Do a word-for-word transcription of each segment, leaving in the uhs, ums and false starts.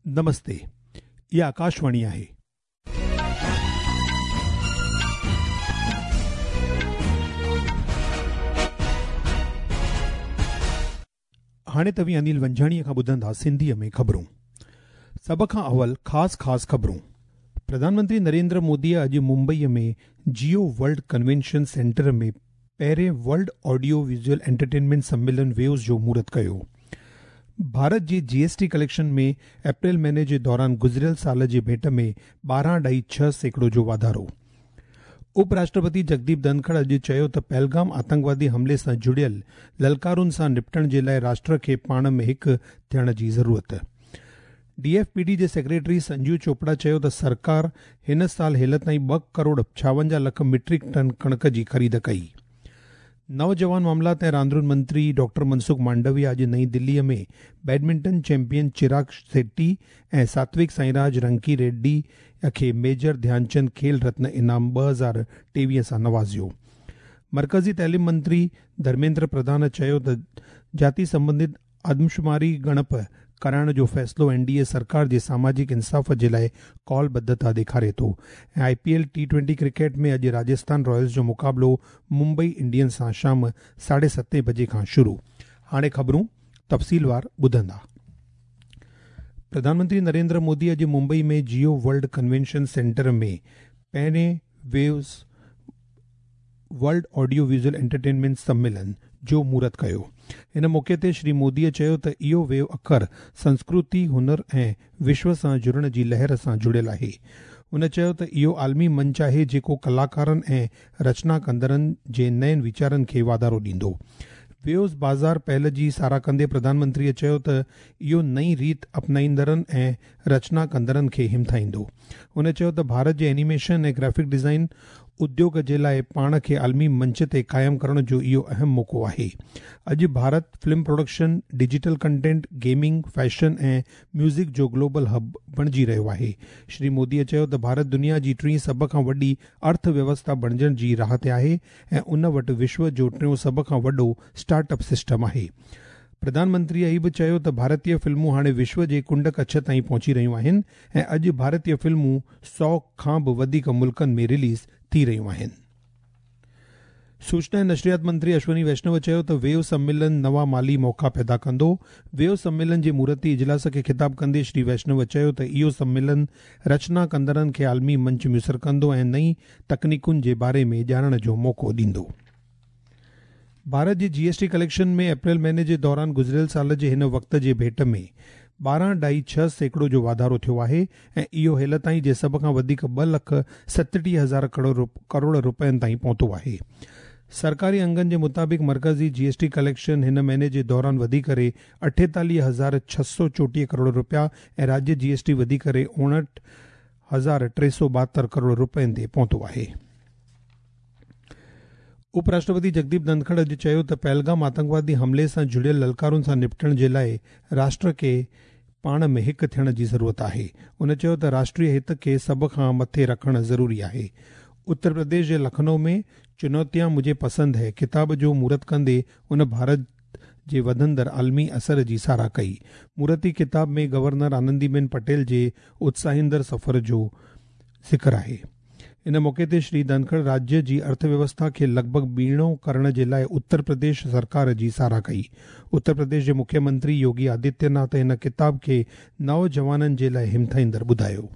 नमस्ते, इहा आकाशवाणी आहे। हाणे तव्हीं अनिल वंझाणीअ खां ॿुधंदा सिंधीअ में ख़बरूं। सभ खां अवल ख़ासि ख़ासि ख़बरूं। प्रधानमंत्री नरेंद्र मोदीअ अॼु मुंबईअ में जियो वर्ल्ड कन्वेंशन सेंटर में पहिरें वर्ल्ड ऑडियो विजुअल एंटरटेनमेंट सम्मेलन वेव्स जो मुहूर्त कयो। भारत जी जीएसटी कलेक्शन में अप्रैल महीने जे दौरान गुज़िरियल साल जे भेंट में ॿारहं ॾाई छह सैकड़ो जो वाधारो। उपराष्ट्रपति जगदीप धनखड़ अॼु चयो त पहलगाम आतंकवादी हमले सां जुड़ियल ललकारुनि सां निपटण जे लाइ राष्ट्र खे पाण में हिकु थियण जी ज़रूरत। डीएफपीडी जे सेक्रेटरी संजीव चोपड़ा चयो त सरकार हिन साल हेल ताईं ॿ करोड़ छावंजाह लख मीट्रिक टन कणिक जी ख़रीद कई। नौजवान मामलात ऐं रांदियुनि मंत्री डॉक्टर मनसुख मांडविया अॼु नई दिल्लीअ में बैडमिंटन चैंपियन चिराग शेट्टी ऐं सात्विक साईराज रंकी रेड्डी खे मेजर ध्यानचंद खेल रत्न इनाम ॿ हज़ार टेवीह सां नवाज़ियो। मरकज़ी तालीम मंत्री धर्मेंद्र प्रधान चयो त जाति संबंधित आदमशुमारी ॻणप कराइण जो फ़ैसिलो एनडीए सरकार जे सामाजिक इंसाफ़ जे लाइ कॉलबद्धता ॾेखारे थो। ऐं आईपीएल टी ट्वेंटी क्रिकेट में अॼु राजस्थान रॉयल्स जो मुक़ाबिलो मुंबई इंडियंस सां शाम साढे सतें बजे खां शुरू। हाणे ख़बरूं तफ़सीलवार ॿुधंदा। प्रधानमंत्री नरेंद्र मोदी अॼु मुंबई में जियो वर्ल्ड कन्वेंशन सेंटर में पहिरें waves world audio visual entertainment सम्मेलन जो मुहूर्त कयो। इन मौक़े ते श्री मोदीअ चयो त इहो वेव अखर संस्कृति, हुनर ऐं विश्व सां जुड़ण जी लहर सां जुड़ियल आहे। हुन चयो त इहो आलमी मंच आहे जेको कलाकारनि ऐं रचना कंदड़नि जे नयुनि वीचारनि खे वाधारो ॾींदो। वेव्स बाज़ार पहल जी सराह कंदे प्रधानमंत्रीअ चयो त इहो नई रीत अपनाईंदड़नि ऐं रचना कंदड़नि खे हिमथाईंदो। हुन चयो त भारत जे एनिमेशन ऐं ग्राफिक डिज़ाइन उद्योग जे लाइ पाण खे आलमी मंच ते क़ाइमु करण जो इहो अहम मौक़ो आहे। अॼु Bharat film production, digital content, gaming, fashion ऐं म्यूज़िक जो ग्लोबल हब बणिजी रहियो आहे। श्री मोदीअ चयो त भारत दुनिया जी टीं सभ खां वॾी अर्थव्यवस्था बणिजण जी राह ते आहे ऐं उन वटि विश्व जो टियों सभ खां वॾो स्टार्टअप सिस्टम आहे। प्रधानमंत्रीअ इहो बि चयो त भारतीय फ़िल्मूं हाणे विश्व जे कुंड कच्छ ताईं पहुची रहियूं आहिनि ऐं अॼु भारतीय फ़िल्मूं सौ खां बि वधीक मुल्कनि में रिलीज़ थी रहियूं आहिनि। सूचना ऐं नशरियात मंत्री अश्विनी वैष्णव चयो त वेव सम्मेलन नवां माली मौक़ा पैदा कंदो। वेव सम्मेलन जे मुहूर्ती इजलास खे ख़िताब कंदे श्री वैष्णव चयो त इहो सम्मेलन रचना कंदड़नि खे आलमी मंच मुयसर कंदो ऐं नई तकनीकुनि जे बारे में ॼाणण जो मौक़ो ॾींदो। भारत जे जीएसटी कलेक्शन में अप्रैल महीने जे दौरान गुज़िरियल साल जे हिन वक़्त जे भेंट में ॿारहं ॾाई छह सैकड़ो जो वाधारो थियो आहे ऐं इहो हेल ताईं जे सभ खां वधीक ॿ लख सतटीह हज़ार करोड़ करोड़ रुपयनि ताईं पहुतो आहे। सरकारी अंगनि जे मुताबिक़ मरकज़ी जीएसटी कलेक्शन हिन महीने जे दौरान वधी करे अठेतालीह हज़ार छह सौ चोटीह करोड़ रुपया ऐं राज्य जीएसटी वधी करे उणहठि हज़ार टे सौ ॿाहतरि करोड़ रुपयनि ते पहुतो आहे। उपराष्ट्रपति जगदीप धनखड़ अॼु चयो त पहलगाम आतंकवादी हमले सां जुड़ियल ललकारुनि सां निपटण जे लाइ राष्ट्र खे पाण में हिकु थियण जी ज़रूरत आहे। हुन चयो त राष्ट्रीय हित खे सभ खां मथे रखणु ज़रूरी आहे। उत्तर प्रदेश जे लखनऊ में चुनौतियां मुझे पसंदि है किताब जो मुहूर्त कंदे उन भारत जे वधंदड़ आलमी असर जी सराह कई। मुहूर्ती किताब में गवर्नर आनंदीबेन पटेल जे उत्साहींदड़ सफ़र जो ज़िक्र आहे। इन मौक़े ते श्री धनखड़ राज्य जी अर्थव्यवस्था खे लॻभॻि ॿीणो करण जे लाइ उत्तर प्रदेश सरकार जी सराह कई। उत्तर प्रदेश जे मुख्यमंत्री योगी आदित्यनाथ हिन किताब खे नौजवाननि जे लाइ हिमथाईंदड़ ॿुधायो।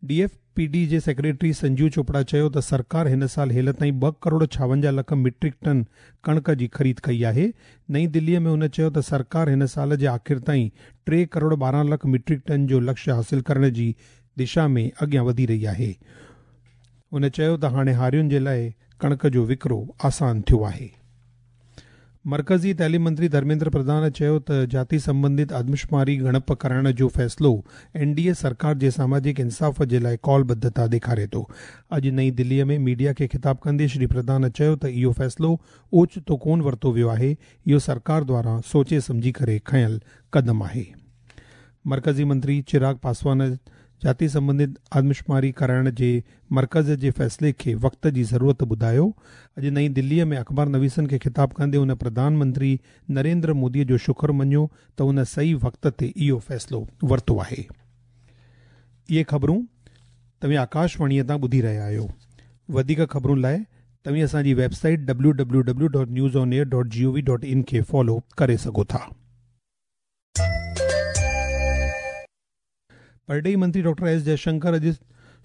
डीएफपीडी जे सेक्रेटरी संजीव चोपड़ा चयो त सरकार हिन साल हेल ताईं ॿ करोड़ छावंजाह लख मीट्रिक टन कणिक जी ख़रीद कई आहे। नई दिल्लीअ में हुन चयो त सरकार हिन साल जे आख़िर ताईं टे करोड़ ॿारहं लख मीट्रिक टन जो लक्ष्य हासिल करण जी दिशा में अॻियां वधी रही आहे। हुन चयो त हाणे हारियुनि जे लाइ कणिक जो विकिरो आसान थियो आहे। मरकज़ी तालीम मंत्री धर्मेंद्र प्रधान चयो त जाति संबंधित आदमशुमारी ॻणप कराइण जो फ़ैसिलो एनडीए सरकार जे सामाजिक इंसाफ़ जे लाइ कॉलबद्धता ॾेखारे थो। अॼु नई दिल्लीअ में मीडिया खे ख़िताब कंदे श्री प्रधान चयो त इहो फ़ैसिलो ओचितो कोन वरितो वियो आहे, इहो सरकार द्वारा सोचे सम्झी करे खयल क़दम आहे। मरकज़ी मंत्री चिराग पासवान جاتي سنبنڌت آدمشماري ڪرائڻ جي مرڪز جي فيصلي کي وقت جي ضرورت ٻڌايو. اڄ نئين دليءَ ۾ اخبار نويسن کي خطاب ڪندي هن پرڌان منتري نريندر موديءَ جو شڪر مڃيو ته هن صحيح وقت تي اهو فيصلو ورتو آهي. اهي خبرون توهين آڪاشواڻيءَ تان ٻڌي رهيا آهيو. وڌيڪ خبرن لاءِ توهين اسان جي website W W W dot news on air dot G O V dot in کي فالو ڪري سگهو ٿا. پرڏيهي منتري ڊاڪٽر ايس جئشنڪر اڄ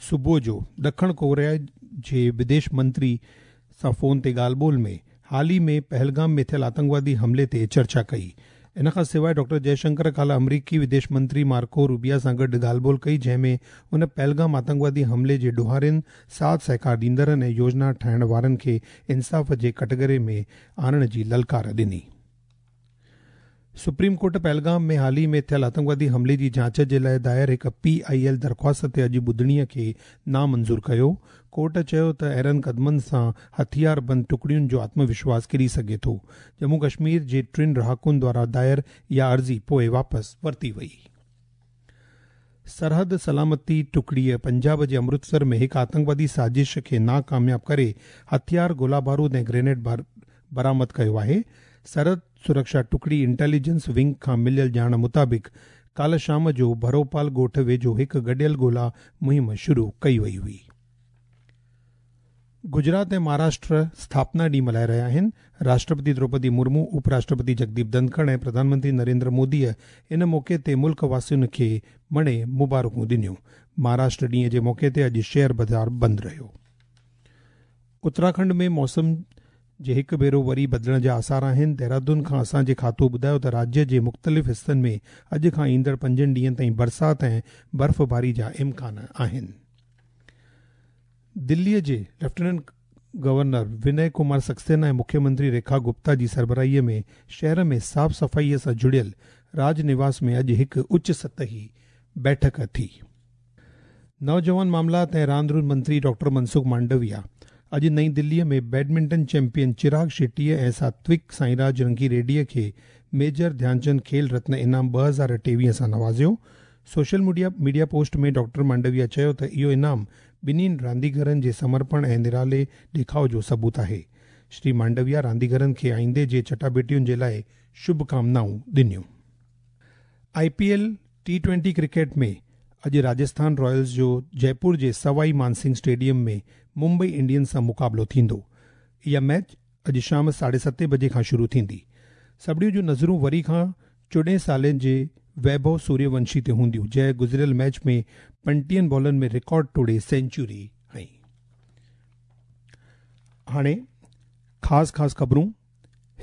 صبح جو ڏکڻ ڪوريا جي وديش منتري سان فون تي ڳالهه ٻولهه ۾ حال ئي ۾ پهلگام ۾ ٿيل آتنڪوادي حملي تي چرچا ڪئي. ان کان سواءِ ڊاڪٽر جئشنڪر ڪالهه آمريڪي وديش منتري مارڪو روبيا سان گڏ ڳالهه ٻولهه ڪئي، جنهن ۾ هن پهلگام آتنڪوادي حملي جي ڏوهارين، ساٿ سهڪار ڏيندڙن ۽ يوجنا ٺاهڻ وارن کي انصاف جي ڪٽگهري ۾ آڻڻ جي للڪار ڏني. سپريم ڪورٽ پهلگام ۾ حال ئي ۾ ٿيل آتنڪوادي حملي جي جاچ جي لاءِ دائر هڪ پي I L درخواست تي اڄ ٻڌڻيءَ کي نامنظور ڪيو. ڪورٽ چيو ته اهڙن قدمن سان هٿياربند ٽڪڙين جو آتم وشواس ڪري سگهي ٿو. ڄمون ڪشمير جي ٽن رهاڪن دوارا دائر اها عرضي پوءِ واپس ورتي وئي. سرحد سلامتي ٽڪڙيءَ پنجاب جي امرتسر ۾ هڪ آتنڪوادي سازش کي ناڪامياب ڪري هٿيار، گولا بارود ۽ گرينيڊ برآمد ڪيو آهي. سرحد سرڪشا ٽڪڙي انٽيليجنس ونگ کان مليل ڄاڻ مطابق ڪالهه شام جو ڀروپال ڳوٺ ويجهو هڪ گڏيل ڳولا مهم شروع ڪئي وئي هئي. گجرات ۽ مهاراشٽر اسٿاپنا ڏينهن ملهائي رهيا آهن. راشٽرپتي دروپدي مرمو، اپراشٽرپتي جگديپ ڌنکڙ ۽ پرڌان منتري نريندر موديءَ ان موقعي تي ملڪ واسين کي مڻي مبارڪون ڏنيون. مهاراشٽر ڏينهن جي موقعي تي اڄ شيئر بازار بند رهيو. اتراکنڊ ۾ موسم جي هڪ ڀيرو وري بدلڻ جا آثار آهن. دهرادون کان اسان جي کاتو ٻڌايو ته راجيه جي مختلف حصن ۾ اڄ کان ايندڙ پنجن ڏينهن تائين برسات ۽ برفباري جا امڪان آهن. دليءَ جي ليفٽيننٽ گورنر وني ڪمار سڪسينا ۽ مکيه منتري ريکا گپتا جي سربراهيءَ ۾ شهر ۾ صاف صفائيءَ سان جڙيل راج نواس ۾ اڄ هڪ اچ سطحي بيٺڪ ٿي. نوجوان معاملات ۽ راند روند منتري ڊاڪٽر منسک مانڊويا اڄ نئين دليءَ ۾ بيڊمنٽن چيمپيئن چراگ شيٽيءَ ۽ ساتوڪ سائينراج رنگي ريڊيءَ کي ميجر ڌيانچند کيل رتن انعام ٻه هزار ٽيويهه سان نوازيو. Social media media post ۾ doctor Mandaviya چيو ته اهو انعام ٻنهي رانديگرن جي سمرپڻ ۽ نرالي ڏيکاءُ جو ثبوت آهي. شري مانڊويا رانديگرن کي آئيندي جي چٽاڀيٽين جي لاءِ شڀڪامنائون ڏنيون. I P L T twenty cricket ۾ اڄ راجسٿان رائلز جو جئپور جي سوائي مانسنگهه اسٽيڊيم ۾ ممبئي انڊينز سان مقابلو ٿيندو. اها ميچ اڄ شام ساڍي ستين بجي کان شروع ٿيندي. سڀني جون نظرون وري کان چوڏهن سالن جي ويڀو سوريونشي تي هونديون، جنهن گذريل ميچ ۾ پنٽيهن بالن ۾ رڪارڊ ٽوڙي سينچري هنئي. هاڻي خاص خاص خبرون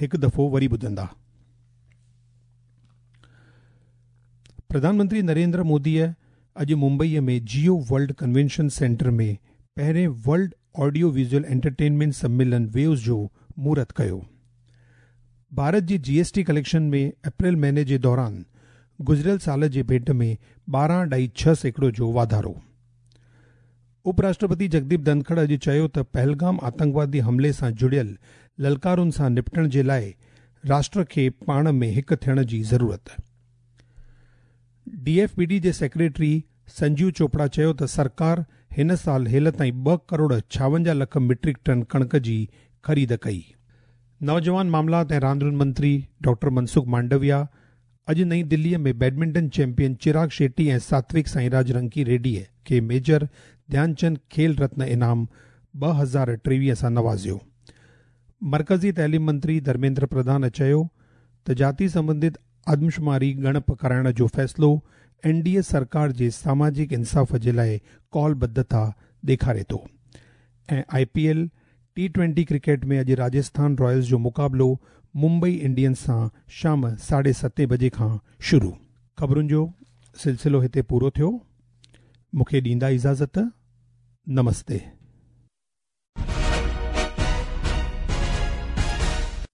هڪ دفعو وري ٻڌندا. پرڌان منتري نريندر موديءَ اڄ ممبئيءَ ۾ جيو ورلڊ ڪنوينشن سينٽر ۾ پهرين ورلڊ آڊيو ويزوئل انٽرٽينمينٽ سميلن ويوز جو مهورت ڪيو. ڀارت جي جي ايس ٽي ڪليڪشن ۾ اپريل مهيني جي دوران گذريل سال جي ڀيٽ ۾ ٻارهن اڍائي ڇهه سيڪڙو جو واڌارو. اپراشٽرپتي جگديپ ڌنکڙ اڄ چيو ته پهلگام آتنڪوادي حملي سان جڙيل للڪارن سان نپٽڻ جي لاءِ راشٽر کي پاڻ ۾ هڪ ٿيڻ جي ضرورت. ڊي ايف پي ڊي جي سيڪريٽري سنجيو چوپڙا چيو ته سرڪار هن سال هيل تائين ٻه ڪروڙ ڇاونجاهه لک ميٽرڪ ٽن ڪڻڪ جي خريد ڪئي. نوجوان معاملات ۽ راندين منتري ڊاڪٽر منسک مانڊويا اڄ نئين دليءَ ۾ بيڊمنٽن چيمپيئن چراگ شيٽي ۽ ساتوڪ سائينراج رنڪي ريڊيءَ کي ميجر ڌيانچند کيل رتن انعام ٻه هزار ٽيويهه سان نوازيو. مرڪزي تعليم منتري ڌرميندر پرڌان چيو ته جاتي سنبنڌت آدمشماري ڳڻپ ڪرائڻ جو فيصلو اين ڊي اي سرڪار جي ساماجڪ انصاف جي لاءِ ڪالبڌتا ڏيکاري ٿو. ۽ I P L T twenty cricket ۾ اڄ راجسٿان رائلز جو مقابلو ممبئي انڊينز سان شام ساڍي ستين بجي کان شروع. خبرن جو سلسلو هتي پورو ٿيو. مون کي ڏيندا اجازت. نمستي.